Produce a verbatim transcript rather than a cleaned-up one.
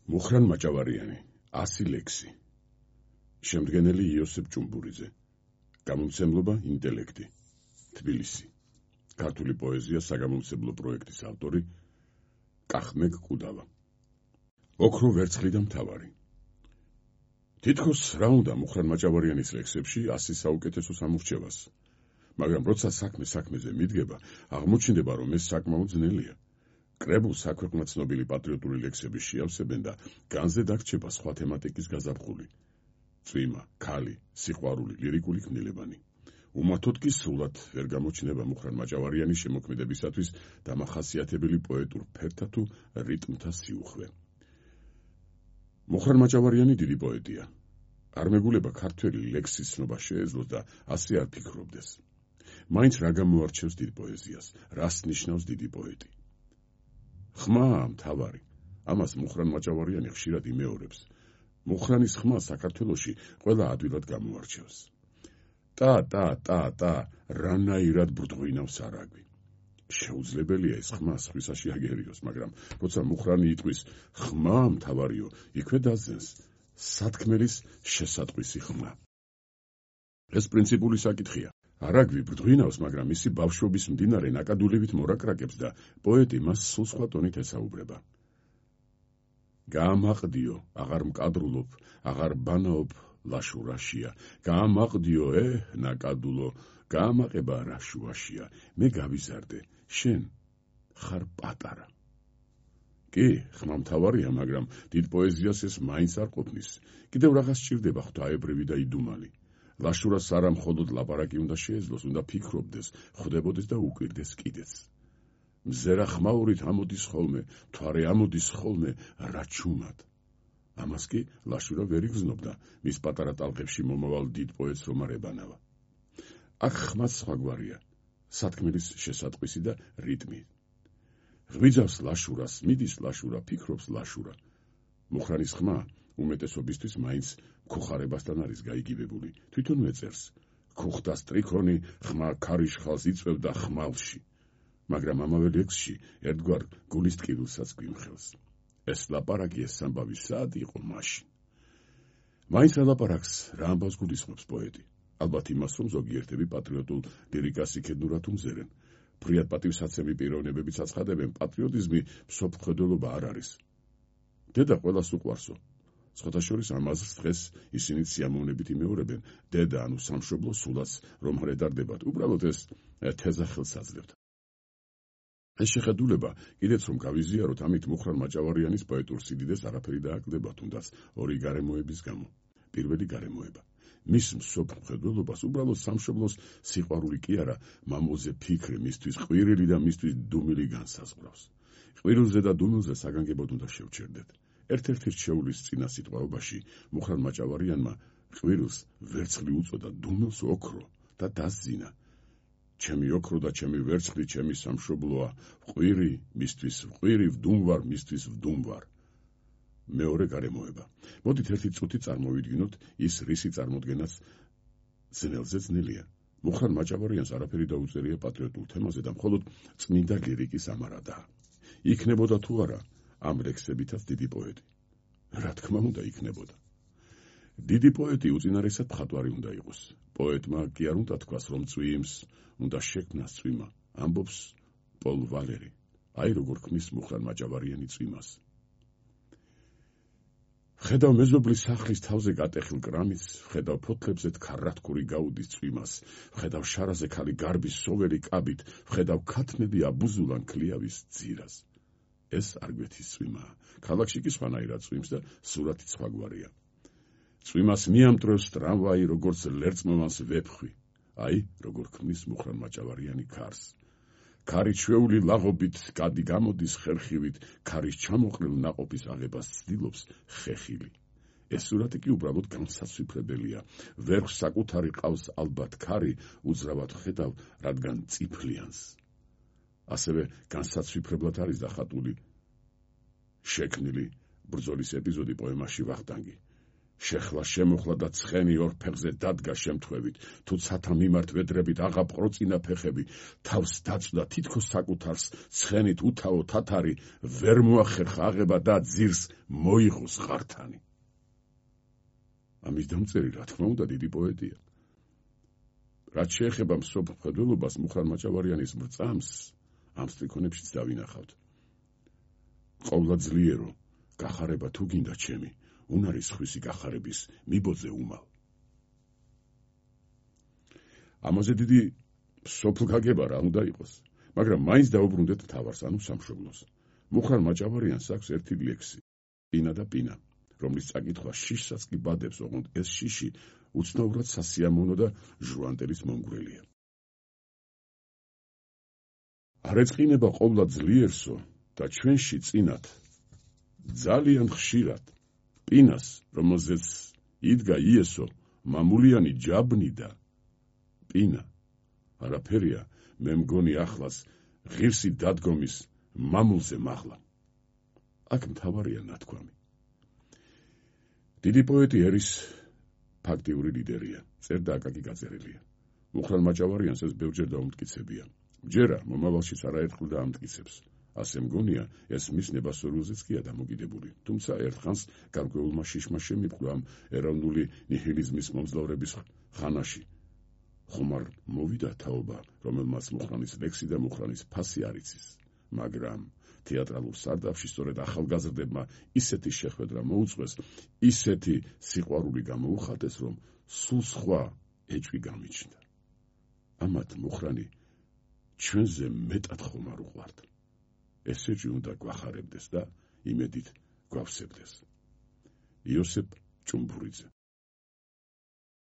მუხრან მაჭავარიანი, ასი ლექსი. შემდგენელი იოსებ ჭუმბურიძე. გამომცემლობა ინტელექტი. თბილისი. ქართული პოეზია საგამომცემლო პროექტის ავტორი კახმეგ კუდავა. ოქრო ვერცხლი და მთავარი. თითქოს რა უნდა მუხრან მაჭავარიანის ლექსებში ასი საუკეთესო სამორჩევას, მაგრამ როცა საქმე საქმეზე მიდგება, აღმოჩნდება, რომ ეს საკმაოდ ძნელია. კრებულს საქვეყნო ცნობილი პატრიოტული ლექსები შეავსებენ და განზე დაგრჩება სხვა თემატიკის გაზაფხული. წვიმა, ქალი, სიყვარული, ლირიკული ქმნილებანი. უმართოდ კი სრულად ვერ გამოჩნდება მუხრან მაჭავარიანის შემოქმედებისათვის დამახასიათებელი პოეტურ ფერთა თუ რიტმთა სიუხვე. მუხრან მაჭავარიანი დიდი პოეტია. არ მეგულება ქართველი ლექსის ცნობა შეეძლოს და ასე არ ფიქრობდეს. მაინც რა გამოარჩევს დიდ პოეზიას, რას ნიშნავს დიდი პოეტი. ხმა მთავარი. ამას მუხრან მაჭავარიანი ხშირად იმეორებს. მუხრანის ხმა საქართველოში ყველა ადვილად გამოარჩევს. ტა ტა ტა ტა რანაირად ბრდღვინავს არაგვი. შეუძლებელია ეს ხმა სხვისაში აგერიოს, მაგრამ როცა მუხრანი იტყვის ხმა მთავარიო, იქვე დაძენს სათქმელის შესატყვისი ხმა. ეს პრინციპული საკითხია. არაგვი ბრდღვინავს, მაგრამ მისი ბავშვობის მდინარე ნაკადულებით მორაკრაკებს და პოეტი მას სულ სხვა ტონით ესაუბრება. გაამაყდიო, აღარ მკადრულობ, აღარ ბანაობ ლაშურაშია. გაამაყდიო, ე ნაკადულო, გაამაყება რა შუაშია. მე გავიზარდე, შენ ხარ პატარა. კი, ხმა მთავარია, მაგრამ დიდ პოეზიას ეს მაინც არ ყოფნის. კიდევ რაღაც სჭირდება ღვთაებრივი და იდუმალი. ლაშურას არა მხოლოდ ლაპარაკი უნდა შეეძლოს, უნდა ფიქრობდეს, ხვდებოდეს და უკვირდეს კიდეც. მზერა ხმაურით ამოდის ხოლმე, მთვარე ამოდის ხოლმე, რა ჩუმად. ამას კი ლაშურა ვერ იგრძნობდა, მის პატარა ტალღებში მომავალ დიდ პოეტს რომ არ ებანავა. აქ ხმაც სხვაგვარია, სათქმელის შესატყვისი და რიტმი. ღვიძავს ლაშურას, მიდის ლაშურა, ფიქრობს ლაშურა. მუხრანის ხმა უმეტესობისთვის მაინც ქუხარებასთან არის გაიგივებული, თვითონ მეწერს. ქუხთა სტრიქონი ხმა ქარიშხალს იწვევდა ხმალში. მაგრამ ამავე ლექსში ერთგვარ გულის ტკივილსაც გვიმხელს. ეს ლაპარაკი, ეს ამბავი სად იყო მაშინ? მაინც ალაპარაკს რა ამბავს გულისხმობს პოეტი? ალბათ იმას, რომ ზოგიერთები პატრიოტულ ლირიკას იქედნურად უმზერენ. ფრიად პატივსაცემი პიროვნებებიც აცხადებენ, პატრიოტიზმი მსოფლმხედველობა არ არის. დედა ყველას უყვარსო. სხვათა შორის ამას დღეს ისინი სიამოვნებით იმეორებენ, დედა ანუ სამშობლო სულაც რომ არ ედარდებათ, უბრალოდ ეს თეზა ხელს აძლევთ. ეს შეხედულება, კიდეც რომ გავიზიაროთ, ამით მუხრან მაჭავარიანის პოეტურ სიდიდეს არაფერი დააკლდება, თუნდაც ორი გარემოების გამო. პირველი გარემოება. მის მსოფლმხედველობას უბრალოდ სამშობლოს სიყვარული კი არა, მამულზე ფიქრი, მისთვის ყვირილი და მისთვის დუმილი განსაზღვრავს. ყვირულზე და დუმილზე საგანგებოდ უნდა შევჩერდეთ. ერთ-ერთი რჩეულის წინა სიტყვაობაში მუხრან მაჭავარიანმა ყვირულს ვერცხლი უწოდა, დუმილს ოქრო და დასძინა. ჩემი ოქრო და ჩემი ვერცხლი ჩემი სამშობლოა, ყვირი მისთვის ყვირი, ვდუმვარ მისთვის ვდუმვარ. მეორე გარემოება. მოდით ერთი წუთი წარმოვიდგინოთ ის რისი წარმოდგენაც ძნელზე ძნელია. მუხრან მაჭავარიანს არაფერი დაუწერია პატრიოტულ თემაზე და მხოლოდ წმინდა ლირიკის ამარადაა. იქნებოდა თუ არა ამ ლექსებითაც დიდი პოეტი? რა თქმა უნდა იქნებოდა. დიდი პოეტი უწინარესად მხატვარი უნდა იყოს. პოეტმა კი არ უნდა თქვას, რომ წვიმს უნდა შექმნას წვიმა, ამბობს პოლ ვალერი. აი როგორ ქმნის მუხრან მაჭავარიანი წვიმას. ხედავ მეზობლის სახლის თავზე გატეხილ კრამის, ხედავ ფოთლებზე თხარათქური გაუდის წვიმას, ხედავ შარაზე ქალი გარბის სოველი კაბით, ხედავ ქათმები აბუზულან ქლიავის ძირას. ეს არ გვეთის წვიმაა. ქალაქში კი სხვანაირად წვიმს და სურათიც სხვაგვარია. წვიმას მიამტრევს ტრამვაი, როგორც ლერწმოვანს ვეფხვი. აი, როგორ ქმნის მუხრან მაჭავარიანი ქარს. ქარი ჩვეული ლაღობით გადი გამოდის ხერხივით, ქარის ჩამოყრილ ნაყოფის აღებას ცდილობს ხეხილი. ეს სურათი კი უბრალოდ განსაცვიფრებელია. ვერხს საკუთარი ყავს ალბათ ქარი, უძრავად ხედავ, რადგან წიფლიანს. ასევე განსაცვიფრებლად არის დახატული შექმნილი ბრძოლის ეპიზოდი პოემაში ვახტანგი. შეხლა შემოხლა და ცხენი ორ ფეხზე დადგა შემთხვევით, თუ ცათა მიმართ ვედრებით აღაპყროწინა ფეხები, თავს დაწვდა თითქოს საკუთარს, ცხენით უთავო თათარი ვერ მოახერხა აღება და ძირს მოიღოს ღართანი. ამის დამწერი, რა თქმა უნდა, დიდი პოეტია. რაც შეეხება მსოფლ მხედველობას, მუხრან მაჭავარიანის მრწამს ამ სტრიქონებშიც დავინახავთ. ყოვლა ძლიერო, გახარება თუ გინდა ჩემი, უნარის ხვისი გახარების მიბოძე უმალ. ამაზე დიდი სოფლ გაგება რა უნდა იყოს, მაგრამ მაინც დაუბრუნდეთ მთავარს, ანუ სამშობლოს. მუხრან მაჭავარიანს აქვს ერთი ლექსი, პინა და პინა, რომლის წაკითხვა შიშსაც კი ბადებს, ოღონდ ეს შიში უცნაურად სასიამოვნო და ჟუანტელის მომგვრელია. არ ეწყინება ყოვლა ძლიერსო და ჩვენში წინათ ძალიან ხშირად პინას, რომელზეც იდგა იესო მამულიანი ჯაბნი და პინა არაფერია, მე მგონი ახლას ღირსი დადგომის მამულზე მაღლა. აქ მთავარია ნათქვამი. დიდი პოეტი ერის ფაქტიური ლიდერია, წერდა აკაკი გაწერილია. მუხრან მაჭავარიანს ეს ბევრჯერ დაუმტკიცებია. ჯერა მომავალშიც არაერთხელ დაამტკიცებს. ასე მგონია, ეს მის ნებასორულზეც კია დამოკიდებული, თუმცა ერთხანს გარკვეულმა შიშმა შემიპყრა ამ ეროვნული ნიჰილიზმის მომძლავრების ხანაში. ხომარ მოვიდა თაობა, რომელმაც მუხრანის ლექსი და მუხრანის ფასი არ იცის, მაგრამ თეატრალურ სარდაფში სწორედ ახალგაზრდებმა ისეთი შეხვედრა მოუწყვეს, ისეთი სიყვარული გამოუხატეს, რომ სულ სხვა ეჭვი გამიჩნდა. ამათ მუხრანი ჩვენზე მეტად ხომარ უყვართ. ეს ეჭვი უნდა გვახარებდეს და იმედით გვავსებდეს. იოსებ ჭუმბურიძე.